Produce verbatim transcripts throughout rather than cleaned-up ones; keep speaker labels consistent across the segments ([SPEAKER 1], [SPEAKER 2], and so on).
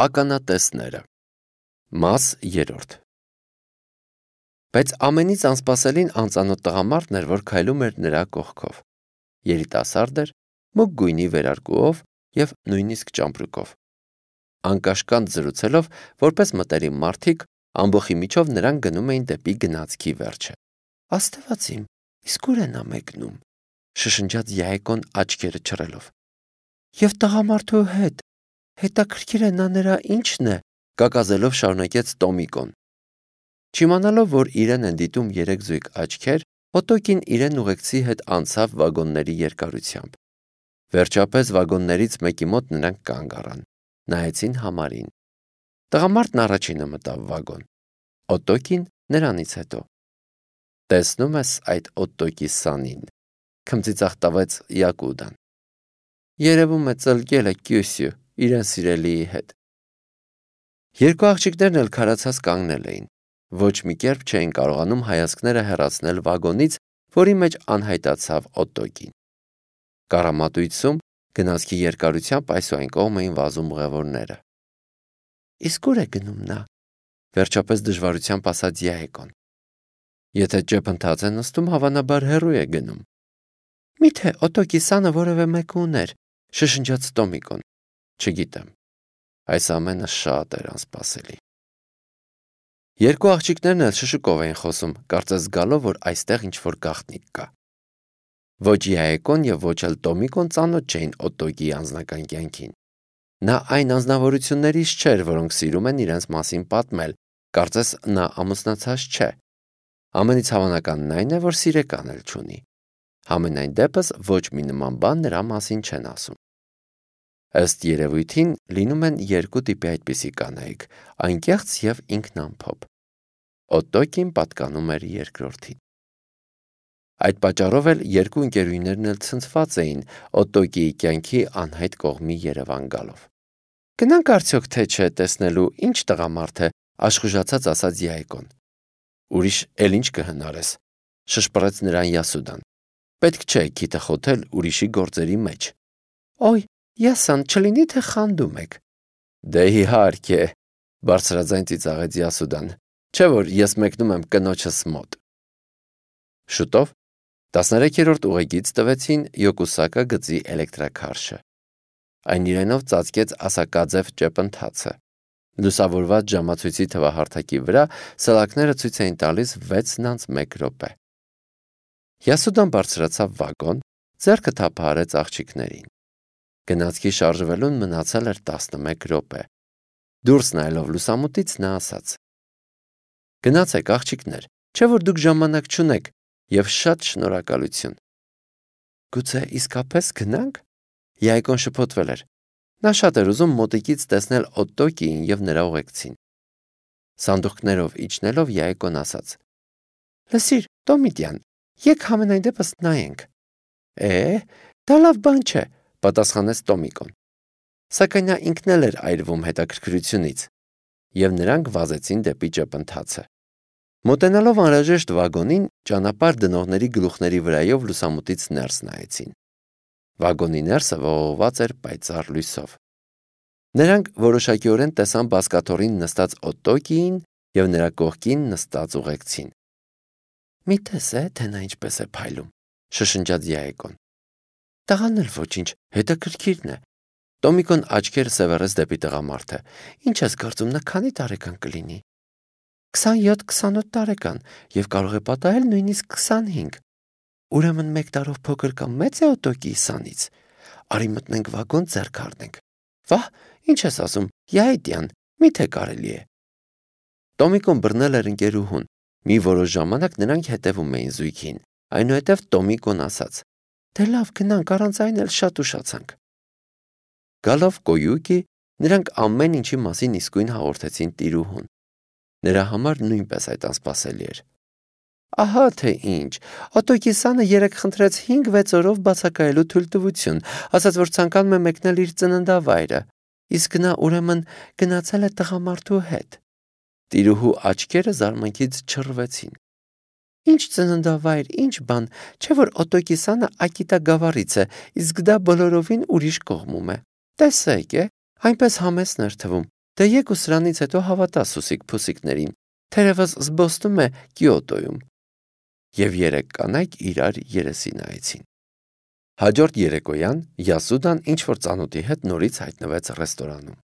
[SPEAKER 1] Ականատեսները Մաս երրորդ Բայց ամենից անսպասելին անծանոթ տղամարդն էր, որ քայլում էր նրա կողքով։ Երիտասարդ էր, մուգ գույնի վերարկուով և նույնիսկ ճամպրուկով։ Անկաշկանդ զրուցելով, որպես մտերիմ մարդիկ, ամբոխի միջով նրանք գնում էին դեպի գնացքի վերջը։ Աստված իմ, իսկ ուր է նա մեկնում, շշնջաց Յայեկոն աչքերը չռելով։ Եվ տղամարդու հետ, հետաքրքիր է նա նրա ինչն է, կակազելով շարունակեց Տոմիկոն։ Չիմանալով, որ իրեն են դիտում երեք զույգ աչքեր, Օտոկին իրեն ուղեկցի հետ անցավ վագոնների երկարությամբ։ Վերջապես վագոններից մեկի մոտ նրանք կանգ առան, նայեցին համարին։ Տղամարդն առաջինը մտավ վագոն, Օտոկին նրանից հետո։ Տեսնում ես այդ Օտոկի սանին, քմծիծաղ Յակուդան։ Երևում է ծլկել է Կյուսյու իրեն սիրելիի հետ։ Երկու աղջիկներն էլ քարացած կանգնել էին, ոչ մի կերպ չէին կարողանում հայացքները հեռացնել վագոնից, որի մեջ անհայտացավ Օտոկին։ Կառամատույցում գնացքի երկարությամբ այսուայն կողմ էին վազում ուղևորները։ Իսկ ուր է գնում նա, վերջապես դժվարությամբ ասաց Յայեկոն։ Եթե ճեպընթաց է նստում, հավանաբար հեռու է գնում։ Միթե Օտոկի սանը որևէ մեկը ուներ, շշնջաց Տոմիկոն։ Չգիտեմ, այս ամենը շատ էր անսպասելի։ Երկու աղջիկներն էլ շշուկով էին խոսում, կարծես զգալով, որ այստեղ ինչ-որ գաղտնիք կա։ Ոչ Յայեկոն և ոչ էլ Տոմիկոն ծանոթ չէին Օտոկի անձնական կյանքին։ Նա այն անձնավորություններից չէր, որոնք սիրում են իրենց մասին պատմել, կարծես նա ամուսնացած չէ։ Ամենից հավանականն այն է, որ սիրեկան էլ չունի։ Համենայն դեպս ոչ մի նման բան նրա մասին չեն ասում։ Ըստ երևույթին լինում են երկու տիպի այդպիսի կանայք՝ անկեղծ և ինքնամփոփ։ Օտոկին պատկանում էր երկրորդին։ Այդ պատճառով էլ երկու ընկերուհիներն էլ ցնցված էին Օտոկիի կյանքի անհայտ կողմի Երևան գալով։ Գնանք արդյոք թե չէ տեսնելու ինչ տղամարդ է, աշխուժացած ասաց Յայեկոն։ Ուրիշ էլ ինչ կհնարես, շշպռեց նրան Յասուդան։ Պետք չէ քիթը խոթել ուրիշի գործերի մեջ։ Օй, Յասան, չլինի թե խանդում եք։ Դե իհարկե, բարձրաձայն ծիծաղեց Յասուդան, չէ որ ես մեկնում եմ կնոջս մոտ։ Շուտով տասներեքերորդ ուղեգիծ տվեցին Յոկուսակա գծի էլեկտրաքարշը։ Այն իրենով ծածկեց ասակաձև ճեպընթացը։ Լուսավորված ժամացույցի թվահարթակի վրա սլաքները ցույց էին տալիս վեցն անց մեկ րոպե։ Յասուդան բարձրացավ վագոն, ձեռքը թափահարեց աղջիկներին։ Գնացքի շարժվելուն մնացել էր տասնմեկ րոպե։ Դուրս նայելով լուսամուտից նա ասաց. Գնացեք աղջիկներ, չէ որ դուք ժամանակ չունեք, և շատ շնորհակալություն։ Գուցե իսկապես գնանք։ Յայեկոն շփոթվել էր։ Նա շատ էր ուզում մոտիկից տեսնել Օտոկիին և նրա ուղեկցին։ Սանդուղքներով իջնելով Յայեկոն ասաց. Լսիր, Տոմիտյան, եկ համենայն դեպս նայենք։ Է, դա լավ բան չէ, պատասխանեց Տոմիկոն։ Սակայն նա ինքն էլ էր այրվում հետաքրքրությունից, և նրանք վազեցին դեպի ճեպընթացը։ Մոտենալով անհրաժեշտ վագոնին, ճանապարհ դնողների գլուխների վրայով լուսամուտից ներս նայեցին։ Վագոնի ներսը ողողված էր պայծառ լույսով։ Նրանք որոշակիորեն տեսան բազկաթոռին նստած Օտոկիին և նրա կողքին նստած ուղեկցին։ Մի տես է, թե նա ինչպես է փայլում, շշնջաց Յայեկոն։ Տղան էլ ոչինչ, հետաքրքիրն է։ Տոմիկոն աչքերը սևեռեց դեպի տղամարդը։ Ինչ ես կարծում, նա քանի տարեկան կլինի։ Քսանյոթ քսանութ տարեկան և կարող է պատահել նույնիսկ քսանհինգ։ Ուրեմն մեկ տարով փոքր կամ մեծ է Օտոկիի սանից։ Արի մտնենք վագոն, ձեռք առնենք։ Վահ, ինչ ես ասում, Յայետյան, միթե կարելի է։ Տոմիկոն բռնել էր ընկերուհուն։ Մի որոշ ժամանակ նրանք հետևում էին զույգին, այնուհետև Տոմիկոն ասաց. Դե լավ, գնանք, առանց այն էլ շատ ուշացանք։ Գալով Կոյուկի, նրանք ամեն ինչի մասին իսկույն հաղորդեցին տիրուհուն։ Նրա համար նույնպես այդ անսպասելի էր։ Ահա թե ինչ, Օտոկի սանը երեկ խնդրեց հինգ-վեց օրով բացակայելու թույլտվություն, ասաց, որ ցանկանում է մեկնել իր ծննդավայրը, իսկ նա ուրեմն գնացել է տղամարդու հետ։ Տիրուհու աչքերը զարմանքից չռվեցին։ Ինչ ծննդավայր, ինչ բան, չէ որ Օտոկի սանը Ակիտա գավառից է, իսկ դա բոլորովին ուրիշ կողմում է։ Տեսեք, է, այնպես համեստ էր թվում, Դե եկ ու սրանից հետո հավատա Սուսիկ Փուսիկներին, թերևս զբոսնում է Կիոտոյում։ Եվ երեք կանայք իրար երեսի նայեցին։ Հաջորդ երեկոյան Յասուդան ինչ-որ ծանոթի հետ նորից հայտնվեց ռեստորանում։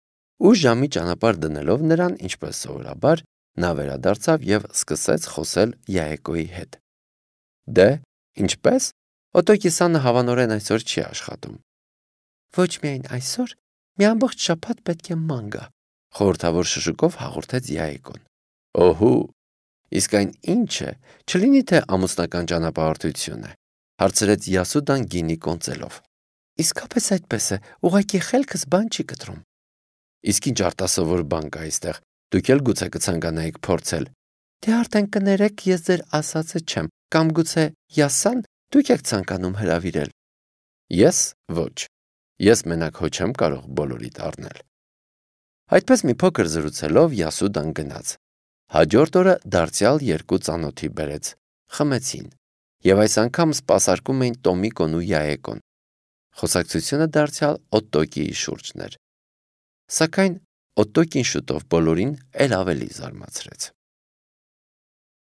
[SPEAKER 1] Ուշ ժամի ճանապարհ դնելով նրան, ինչպես սովորաբար, նա վերադարձավ եւ սկսեց խոսել Յայեկոյի հետ։ Դե, ինչպես։ Օտոկիսանը հավանորեն այսօր չի աշխատում։ Ոչ միայն այսօր, մի ամբողջ շաբաթ պետք է ման գա, խորհրդավոր շշուկով հաղորդեց Յայեկոն։ Օհու, իսկ այն ինչ է, չլինի թե ամուսնական ճանապարհորդություն է, հարցրեց Յասուդան գինի կոնծելով։ Իսկապես այդպես է, ուղղակի խելքս բան չի կտրում։ Իսկ ինչ արտասովոր բան կա այստեղ, դուք էլ գուցե կցանկանայիք փորձել։ Դե արդեն կներեք, ես ձեր ասածը չեմ, կամ գուցե Յասան դուք եք ցանկանում հրավիրել։ Ես ոչ։ Ես մենակ հո չեմ կարող բոլորիդ առնել։ Այդպես մի փոքր զրուցելով Յասուդան գնաց։ Հաջորդ օրը դարձյալ երկու ծանոթի բերեց, խմեցին, եւ այս անգամ սպասարկում էին Տոմիկոն ու Յայեկոն։ Խոսակցությունը դարձյալ Օտոկիի շուրջն էր։ Սակայն Օտոկին շուտով բոլորին էլ ավելի զարմացրեց։